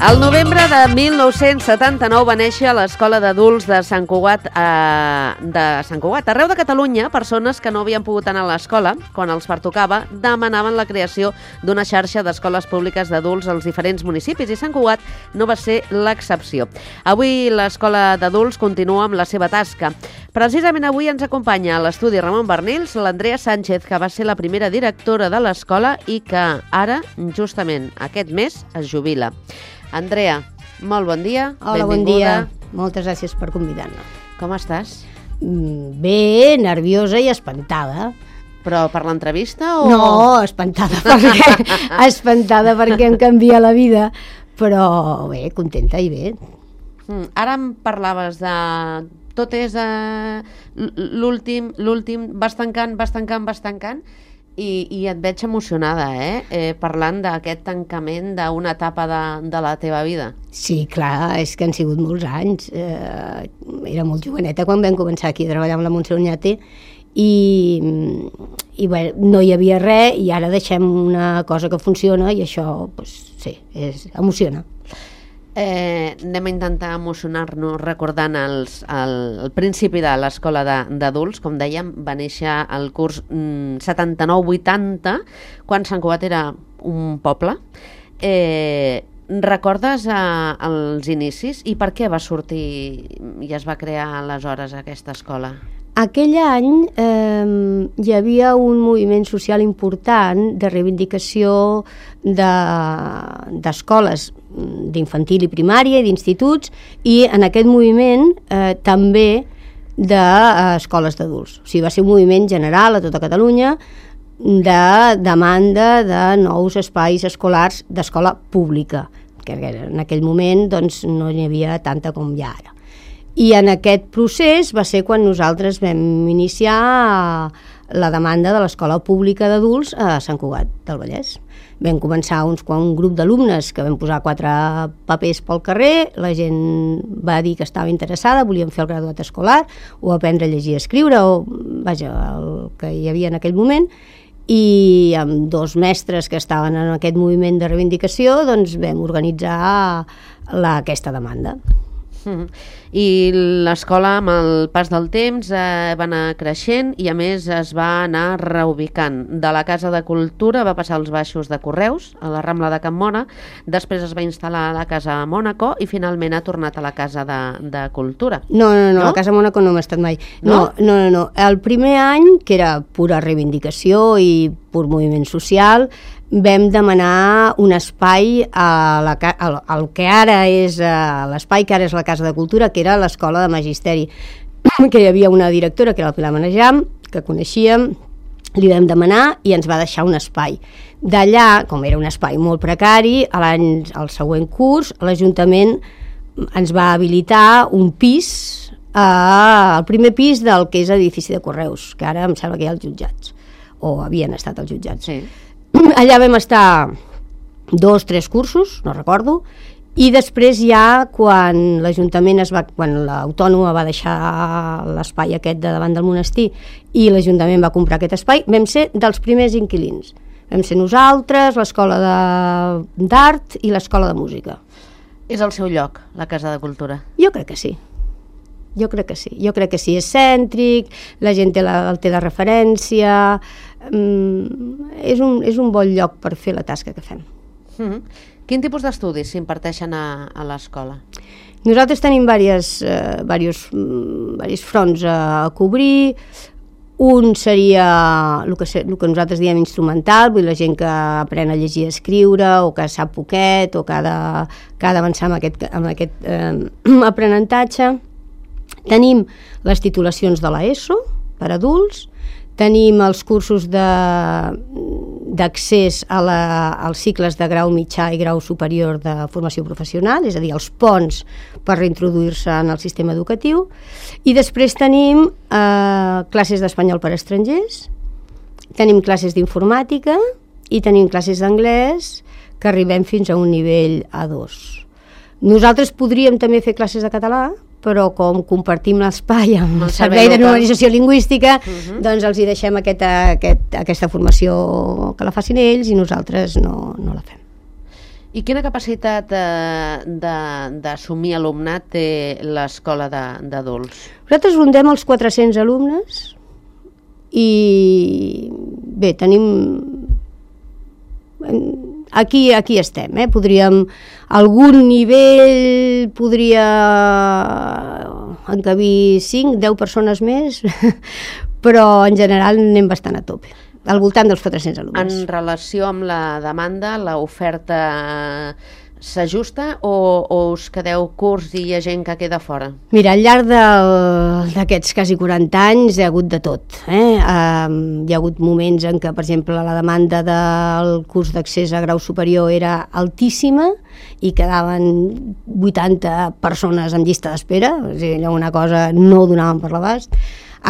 El novembre de 1979 va néixer a l'Escola d'Adults de Sant Cugat. Arreu de Catalunya, persones que no havien pogut anar a l'escola, quan els pertocava, demanaven la creació d'una xarxa d'escoles públiques d'adults als diferents municipis, i Sant Cugat no va ser l'excepció. Avui l'Escola d'Adults continua amb la seva tasca. Precisament avui ens acompanya a l'estudi Ramon Barnils l'Andrea Sánchez, que va ser la primera directora de l'escola i que ara, justament aquest mes, es jubila. Andrea, molt bon dia. Hola, benvinguda. bon dia. Moltes gràcies per convidar-me. Com estàs? Bé, nerviosa i espantada. Però per l'entrevista o...? No, espantada perquè em canvia la vida, però bé, contenta i bé. Ara em parlaves de... Tot és l'últim, vas tancant, i et veig emocionada, parlant d'aquest tancament d'una etapa de la teva vida. Sí, clar, és que han sigut molts anys. Era molt joveneta quan vam començar aquí a treballar amb la Montse Oñate i bé, no hi havia res i ara deixem una cosa que funciona i això, sí, emociona. Anem a intentar emocionar-nos recordant el principi de l'escola d'adults. Com dèiem, va néixer el curs 79-80, quan Sant Cugat era un poble. Recordes els inicis i per què va sortir i es va crear aleshores aquesta escola? Aquell any hi havia un moviment social important de reivindicació d'escoles d'infantil i primària i d'instituts, i en aquest moviment també d'escoles d'adults. O sigui, va ser un moviment general a tota Catalunya de demanda de nous espais escolars d'escola pública, que en aquell moment doncs, no n'hi havia tanta com hi ha ara. I en aquest procés va ser quan nosaltres vam iniciar la demanda de l'escola pública d'adults a Sant Cugat del Vallès. Vam començar un grup d'alumnes que vam posar 4 papers pel carrer, la gent va dir que estava interessada, volien fer el graduat escolar o aprendre a llegir i escriure, o vaja, el que hi havia en aquell moment, i amb 2 mestres que estaven en aquest moviment de reivindicació doncs vam organitzar aquesta demanda. I l'escola, amb el pas del temps, va anar creixent i a més es va anar reubicant. De la Casa de Cultura va passar als baixos de Correus, a la Rambla de Can Mona, després es va instal·lar a la Casa Mònaco i finalment ha tornat a la Casa de Cultura. No, a la Casa Mònaco no hem estat mai. No. El primer any, que era pura reivindicació i pur moviment social, vam demanar un espai al que ara és l'espai que ara és la Casa de Cultura, que era l'Escola de Magisteri, que hi havia una directora, que era el Pilar Manejam, que coneixíem, li vam demanar i ens va deixar un espai. D'allà, com era un espai molt precari, al següent curs l'Ajuntament ens va habilitar un pis, el primer pis del que és edifici de Correus, que ara em sembla que hi ha els jutjats, o havien estat els jutjats. Sí. Allà vam estar 2-3 cursos, no recordo, i després ja quan l'Ajuntament quan l'Autònoma va deixar l'espai aquest de davant del monestir i l'Ajuntament va comprar aquest espai, vam ser dels primers inquilins. Vam ser nosaltres, l'Escola d'Art i l'Escola de Música. És el seu lloc, la Casa de Cultura? Jo crec que sí. Jo crec que sí, és cèntric, la gent el té de referència, és un bon lloc per fer la tasca que fem. Quin tipus d'estudis s'imparteixen a l'escola? Nosaltres tenim diversos fronts a cobrir. Un seria el que nosaltres diem instrumental, vull dir, la gent que aprèn a llegir i escriure o que sap poquet o que ha d'avançar amb aquest aprenentatge. Tenim les titulacions de l'ESO per adults, Tenim els cursos d'accés als cicles de grau mitjà i grau superior de formació professional, és a dir, els ponts per reintroduir-se en el sistema educatiu, i després tenim classes d'espanyol per a estrangers, tenim classes d'informàtica i tenim classes d'anglès que arribem fins a un nivell A2. Nosaltres podríem també fer classes de català, però com compartim l'espai amb el Servei de Normalització Lingüística, doncs els hi deixem aquesta formació que la facin ells i nosaltres no la fem. I quina capacitat d'assumir alumnat té l'escola d'adults? Nosaltres rondem els 400 alumnes i bé, tenim... Aquí estem, podríem, algun nivell podria encabir 5, 10 persones més, però en general anem bastant a tope, al voltant dels 400 alumnes. En relació amb la demanda, l'oferta s'ajusta o us quedeu curts i hi ha gent que queda fora? Mira, al llarg d'aquests quasi 40 anys hi ha hagut de tot. Hi ha hagut moments en què, per exemple, la demanda del curs d'accés a grau superior era altíssima i quedaven 80 persones en llista d'espera, és a dir, una cosa no ho donaven per l'abast.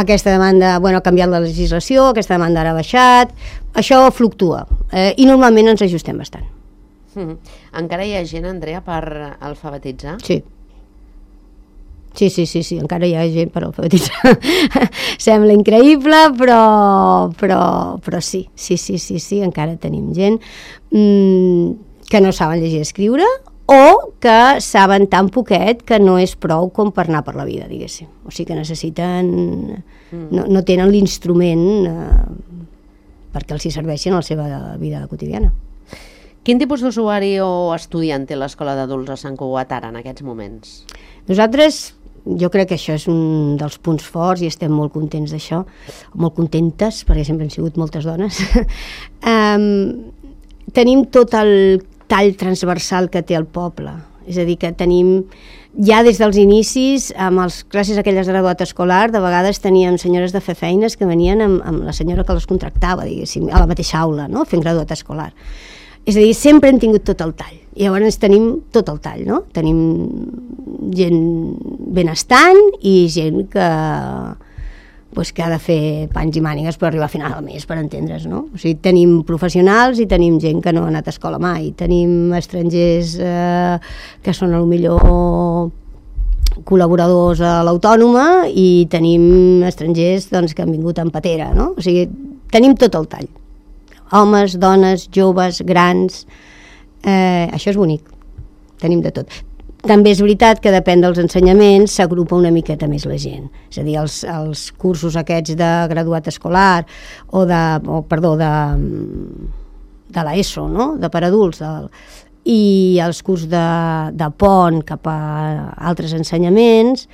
Aquesta demanda, ha canviat la legislació, aquesta demanda ara ha baixat, això fluctua i normalment ens ajustem bastant. Encara hi ha gent, Andrea, per alfabetitzar? Sí, encara hi ha gent per alfabetitzar. Sembla increïble, però sí, encara tenim gent que no saben llegir i escriure o que saben tan poquet que no és prou com per anar per la vida, diguéssim. O sigui que necessiten... No tenen l'instrument perquè els hi serveixin a la seva vida quotidiana. Quin tipus d'usuari o estudiant té l'escola d'adults a Sant Cugat ara, en aquests moments? Nosaltres, jo crec que això és un dels punts forts i estem molt contents d'això, molt contentes, perquè sempre han sigut moltes dones. Tenim tot el tall transversal que té el poble, és a dir, que tenim ja des dels inicis, amb les classes aquelles de graduat escolar, de vegades teníem senyores de fer feines que venien amb la senyora que les contractava, diguéssim, a la mateixa aula, no?, fent graduat escolar. És a dir, sempre hem tingut tot el tall. I llavors tenim tot el tall, no? Tenim gent benestant i gent que ha de fer panys i mànigues per arribar a final del mes, per entendre's, no? O sigui, tenim professionals i tenim gent que no ha anat a escola mai. Tenim estrangers que són potser col·laboradors a l'Autònoma i tenim estrangers que han vingut en patera, no? O sigui, tenim tot el tall. Homes, dones, joves, grans, això és bonic, tenim de tot. També és veritat que depèn dels ensenyaments, s'agrupa una miqueta més la gent, és a dir, els cursos aquests de graduat escolar o de l'ESO, no?, de per adults, i els cursos de pont cap a altres ensenyaments,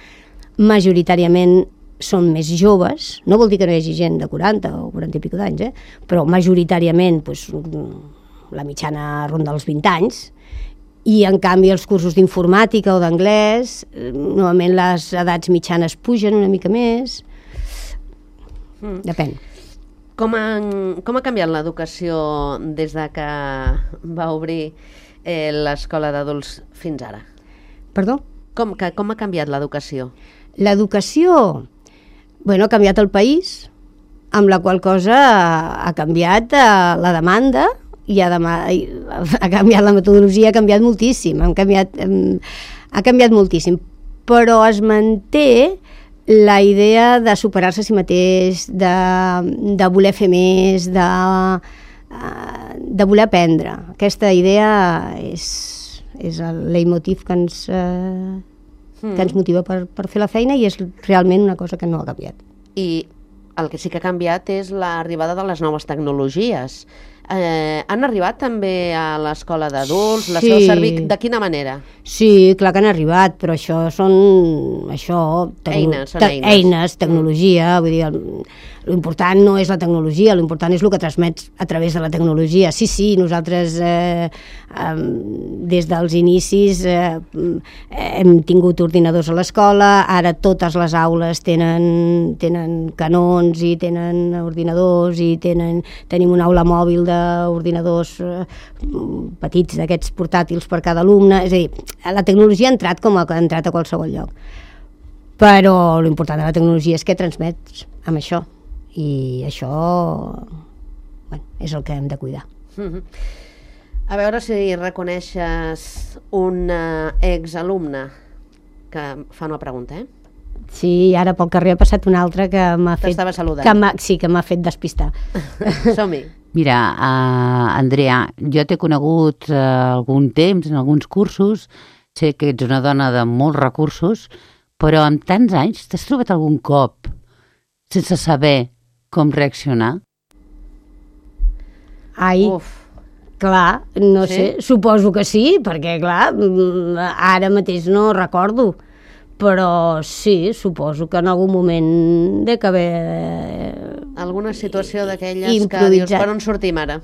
majoritàriament són més joves, no vol dir que no hi hagi gent de 40 o 40 i pico d'anys, però majoritàriament la mitjana ronda els 20 anys, i en canvi els cursos d'informàtica o d'anglès, normalment les edats mitjanes pugen una mica més, depèn. Com ha canviat l'educació des de que va obrir l'escola d'adults fins ara? Perdó? Com ha canviat l'educació? L'educació... ha canviat el país, amb la qual cosa ha canviat la demanda i ha canviat la metodologia, ha canviat moltíssim, ha canviat moltíssim, però es manté la idea de superar-se a si mateix, de voler fer més, de voler aprendre. Aquesta idea és el leitmotiv que ens motiva per fer la feina i és realment una cosa que no ha canviat. I el que sí que ha canviat és l'arribada de les noves tecnologies. Han arribat també a l'escola d'adults? Les feu servir de quina manera? Sí, clar que han arribat, però això són eines, tecnologia, vull dir, l'important no és la tecnologia, l'important és el que transmets a través de la tecnologia. Sí, nosaltres des dels inicis hem tingut ordinadors a l'escola, ara totes les aules tenen canons i tenen ordinadors i tenim una aula mòbil d'ordinadors petits, d'aquests portàtils per cada alumne, és a dir, la tecnologia ha entrat com ha entrat a qualsevol lloc, però l'important de la tecnologia és que transmets amb això, i això és el que hem de cuidar. A veure si reconeixes una exalumna que fa una pregunta, Sí, ara pel carrer ha passat una altra que m'ha fet... T'estava saludant. Que m'ha fet despistar. Som-hi. Mira, Andrea, jo t'he conegut algun temps en alguns cursos, sé que ets una dona de molts recursos, però amb tants anys t'has trobat algun cop sense saber com reaccionar? Ai, clar, no sé, suposo que sí, perquè clar, ara mateix no recordo, però sí, suposo que en algun moment dec haver... Alguna situació d'aquelles que dius, per on sortim ara?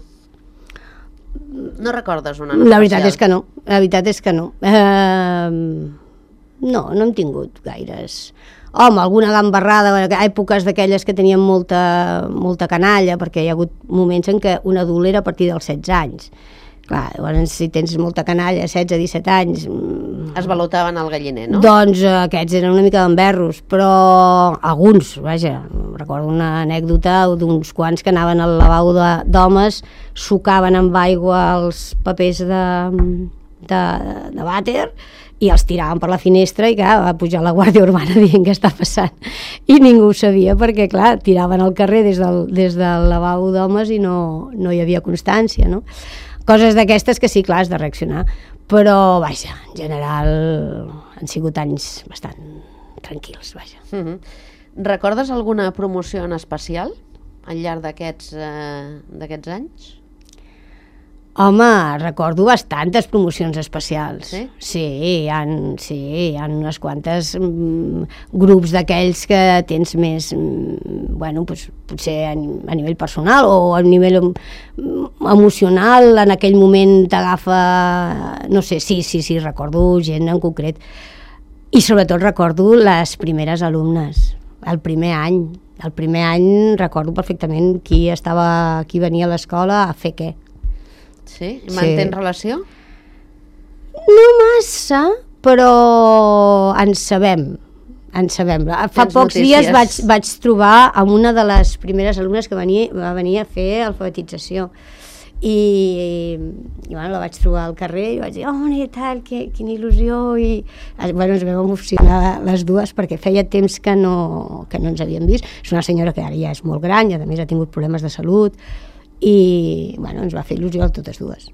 No recordes una especial? La veritat és que no. No hem tingut gaires. Home, alguna gambarrada, èpoques d'aquelles que tenien molta canalla, perquè hi ha hagut moments en què un adult era a partir dels 16 anys. Clar, llavors si tens molta canalla, 16-17 anys... Es balotaven al galliner, no? Doncs aquests eren una mica d'emberros, però alguns, vaja, recordo una anècdota d'uns quants que anaven al lavabo d'homes, sucaven amb aigua els papers de vàter i els tiraven per la finestra i clar, va pujar la Guàrdia Urbana dient què està passant. I ningú ho sabia perquè, clar, tiraven al carrer des del lavabo d'homes i no hi havia constància, no? Coses d'aquestes que sí, clar, has de reaccionar. Però, vaja, en general han sigut anys bastant tranquils, vaja. Recordes alguna promoció en especial al llarg d'aquests anys? Home, recordo bastantes promocions especials. Sí? Sí, hi ha unes quantes grups d'aquells que tens més, bueno, doncs, potser a nivell personal o a nivell emocional, en aquell moment t'agafa, no sé, sí, recordo gent en concret. I sobretot recordo les primeres alumnes, el primer any. El primer any recordo perfectament qui venia a l'escola a fer què. Sí? Mantens relació? No massa, però ens sabem. Fa pocs dies vaig trobar amb una de les primeres alumnes que va venir a fer alfabetització. I bueno, la vaig trobar al carrer i vaig dir, i tal, quina il·lusió, i bueno, ens vam emocionar les dues perquè feia temps que no ens havíem vist. És una senyora que ara ja és molt gran i a més ha tingut problemes de salut i bueno, ens va fer il·lusió a totes dues.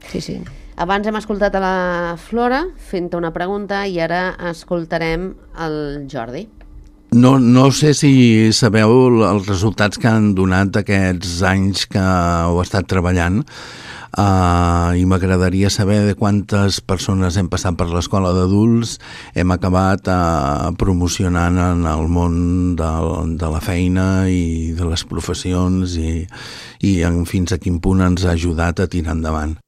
Sí. Abans hem escoltat a la Flora fent-te una pregunta i ara escoltarem el Jordi. No sé si sabeu els resultats que han donat aquests anys que heu estat treballant, i m'agradaria saber de quantes persones hem passat per l'escola d'adults, hem acabat promocionant en el món de la feina i de les professions i fins a quin punt ens ha ajudat a tirar endavant.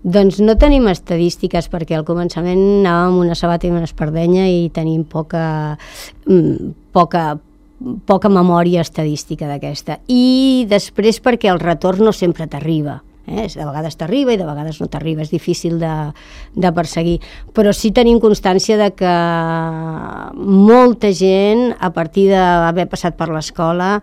Doncs no tenim estadístiques perquè al començament anàvem amb una sabata i una espardenya i tenim poca memòria estadística d'aquesta. I després perquè el retorn no sempre t'arriba. De vegades t'arriba i de vegades no t'arriba, és difícil de perseguir, però sí tenim constància de que molta gent a partir d'haver passat per l'escola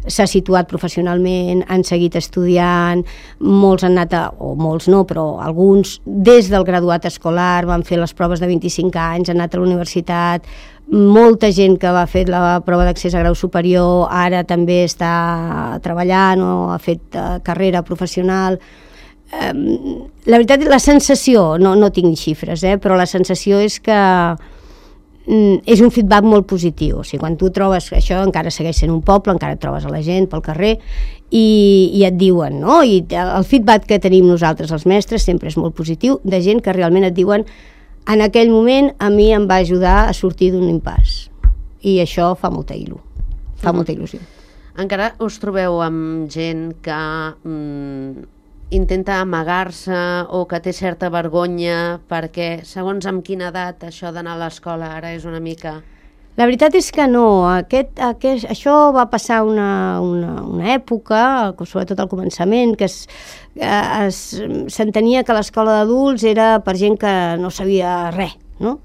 s'ha situat professionalment, han seguit estudiant, molts han anat o molts no, però alguns des del graduat escolar van fer les proves de 25 anys, han anat a la universitat, molta gent que va fer la prova d'accés a grau superior ara també està treballant o ha fet carrera professional. La veritat, la sensació, no tinc xifres, però la sensació és que és un feedback molt positiu. O sigui, quan tu trobes això, encara segueix sent un poble, encara et trobes a la gent pel carrer i et diuen, no? I el feedback que tenim nosaltres, els mestres, sempre és molt positiu, de gent que realment et diuen en aquell moment a mi em va ajudar a sortir d'un impàs. I això fa molta il·lusió. Encara us trobeu amb gent que intenta amagar-se o que té certa vergonya perquè, segons amb quina edat, això d'anar a l'escola ara és una mica... La veritat és que no. Això va passar una època, sobretot al començament, que s'entenia que l'escola d'adults era per gent que no sabia res, no?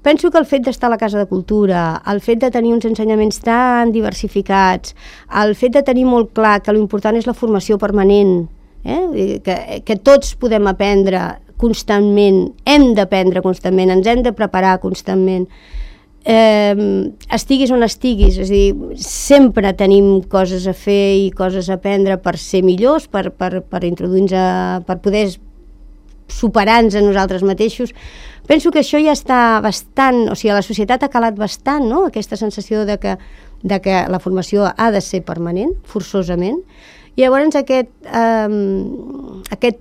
Penso que el fet d'estar a la Casa de Cultura, el fet de tenir uns ensenyaments tan diversificats, el fet de tenir molt clar que l'important és la formació permanent, que tots podem aprendre constantment, hem d'aprendre constantment, ens hem de preparar constantment, estiguis on estiguis, és a dir, sempre tenim coses a fer i coses a aprendre per ser millors, per introduir-nos, per poder superar-nos a nosaltres mateixos. Penso que això ja està bastant, o sigui, a la societat ha calat bastant, no?, aquesta sensació de que la formació ha de ser permanent, forçosament. I llavors aquest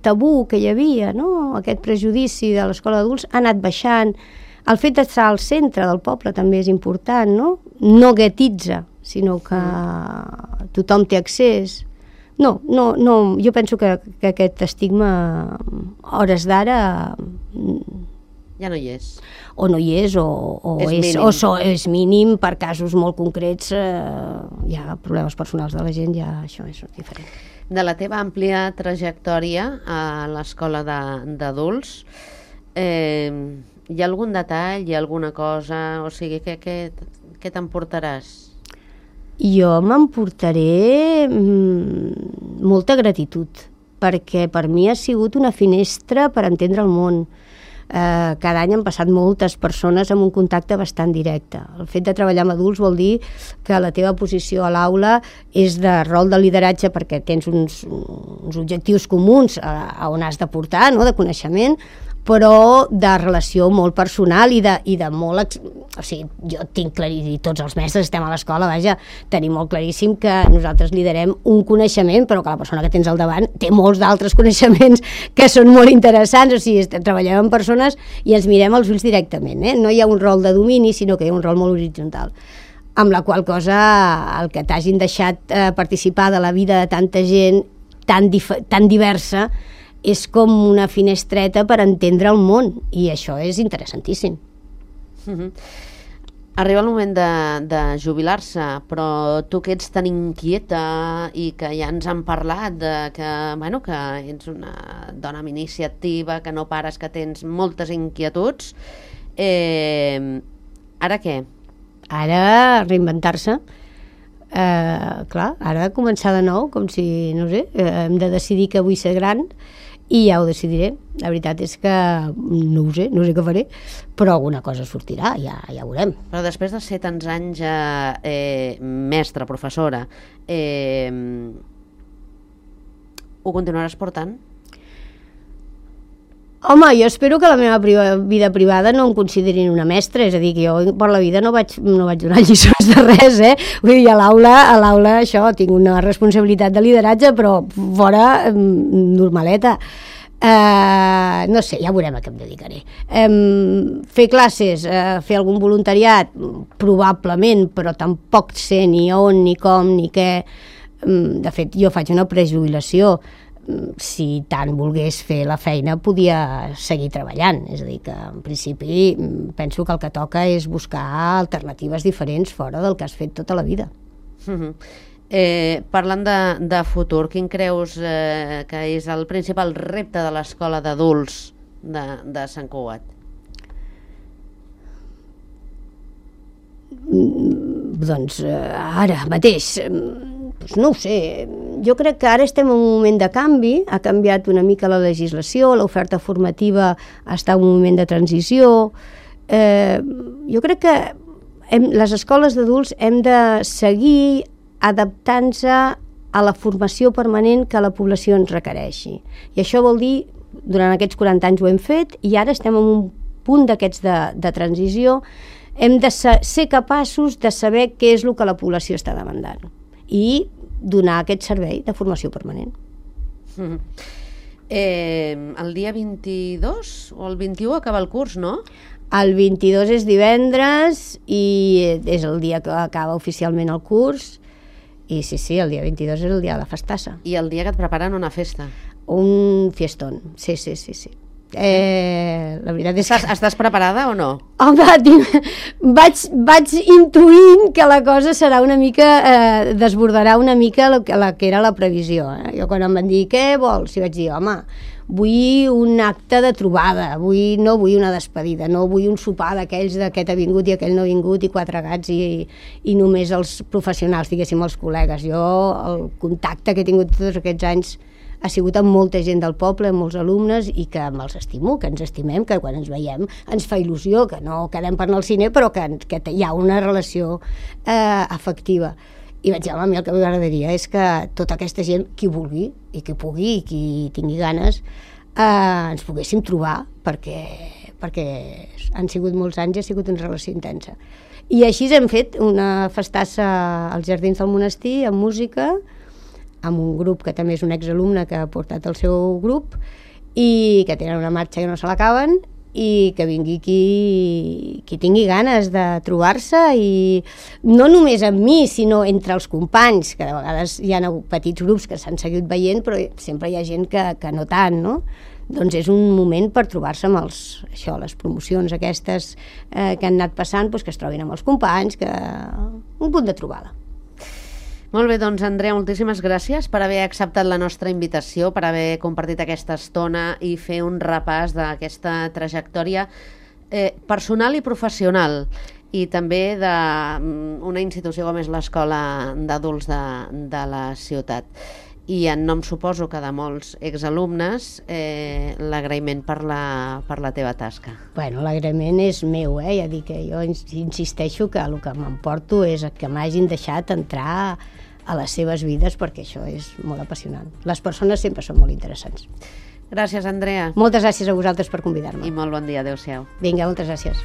tabú que hi havia, no?, aquest prejudici de l'escola d'adults ha anat baixant. El fet d'estar al centre del poble també és important, no? No guetitza, sinó que tothom té accés. No, jo penso que aquest estigma, hores d'ara... Ja no hi és. O no hi és, o és mínim, per casos molt concrets, hi ha problemes personals de la gent, ja això és diferent. De la teva àmplia trajectòria a l'escola d'adults, hi ha algun detall, hi ha alguna cosa, o sigui, què t'emportaràs? Jo m'emportaré molta gratitud, perquè per mi ha sigut una finestra per entendre el món. Cada any han passat moltes persones amb un contacte bastant directe. El fet de treballar amb adults vol dir que la teva posició a l'aula és de rol de lideratge perquè tens uns objectius comuns a on has de portar, no?, de coneixement, però de relació molt personal i de molt... O sigui, jo tinc claríssim, tots els mestres estem a l'escola, vaja, tenim molt claríssim que nosaltres liderem un coneixement, però que la persona que tens al davant té molts d'altres coneixements que són molt interessants. O sigui, treballem amb persones i ens mirem als ulls directament, No hi ha un rol de domini, sinó que hi ha un rol molt horitzontal. Amb la qual cosa, el que t'hagin deixat participar de la vida de tanta gent tan diversa és com una finestreta per entendre el món, i això és interessantíssim. Arriba el moment de jubilar-se, però tu que ets tan inquieta i que ja ens han parlat que ets una dona amb iniciativa, que no pares, que tens moltes inquietuds, ara què? Ara reinventar-se. Clar, ara començar de nou, com si, no sé, hem de decidir que vull ser gran i ja ho decidiré. La veritat és que no ho sé, no sé què faré, però alguna cosa sortirà, ja ho veurem. Però després de ser tants anys mestra, professora, ho continuaràs portant? Home, jo espero que la meva vida privada no em considerin una mestra, és a dir, que jo per la vida no vaig donar lliçons de res, Vull dir, a l'aula això, tinc una responsabilitat de lideratge, però fora normaleta. No sé, ja veurem a què em dedicaré. Fer classes, fer algun voluntariat, probablement, però tampoc sé ni on, ni com, ni què. De fet, jo faig una prejubilació. Si tant volgués fer la feina podia seguir treballant, és a dir que en principi penso que el que toca és buscar alternatives diferents fora del que has fet tota la vida. Parlant de futur, quin creus que és el principal repte de l'escola d'adults de Sant Cugat? Doncs ara mateix no ho sé, jo crec que ara estem en un moment de canvi, ha canviat una mica la legislació, l'oferta formativa està en un moment de transició. Jo crec que les escoles d'adults hem de seguir adaptant-se a la formació permanent que la població ens requereixi. I això vol dir, durant aquests 40 anys ho hem fet, i ara estem en un punt d'aquests de transició hem de ser capaços de saber què és el que la població està demandant i donar aquest servei de formació permanent. El dia 22 o el 21 acaba el curs, no? El 22 és divendres i és el dia que acaba oficialment el curs. I sí, el dia 22 és el dia de la festassa. I el dia que et preparen una festa. Un fiestón, sí. La veritat és que... Estàs preparada o no? Home, vaig intuint que la cosa serà una mica, desbordarà una mica la que era la previsió. Jo quan em van dir, què vols? I vaig dir, home, vull un acte de trobada, no vull una despedida, no vull un sopar d'aquells d'aquest ha vingut i aquell no ha vingut i 4 gats i només els professionals, diguéssim, els col·legues. Jo, el contacte que he tingut tots aquests anys ha sigut amb molta gent del poble, amb molts alumnes, i que me'ls estimo, que ens estimem, que quan ens veiem ens fa il·lusió, que no quedem per anar al cine, però que hi ha una relació afectiva. I vaig dir, home, a mi el que m'agradaria és que tota aquesta gent, qui vulgui, i qui pugui, i qui tingui ganes, ens poguéssim trobar, perquè han sigut molts anys i ha sigut una relació intensa. I així hem fet una festassa als Jardins del Monestir, amb música, amb un grup que també és un exalumne que ha portat el seu grup i que tenen una marxa que no se l'acaben, i que vingui qui tingui ganes de trobar-se, i no només amb mi, sinó entre els companys, que de vegades hi ha petits grups que s'han seguit veient, però sempre hi ha gent que no tant, no? Doncs és un moment per trobar-se amb les promocions aquestes que han anat passant, que es trobin amb els companys, un punt de trobada. Molt bé, doncs Andrea, moltíssimes gràcies per haver acceptat la nostra invitació, per haver compartit aquesta estona i fer un repàs d'aquesta trajectòria personal i professional, i també d'una institució com és l'Escola d'Adults de la ciutat. I en nom, suposo que de molts exalumnes, l'agraïment per la teva tasca. Bueno, l'agraïment és meu, ja dic que jo insisteixo que el que m'emporto és que m'hagin deixat entrar a les seves vides, perquè això és molt apassionant. Les persones sempre són molt interessants. Gràcies, Andrea. Moltes gràcies a vosaltres per convidar-me. I molt bon dia, adéu-siau. Vinga, moltes gràcies.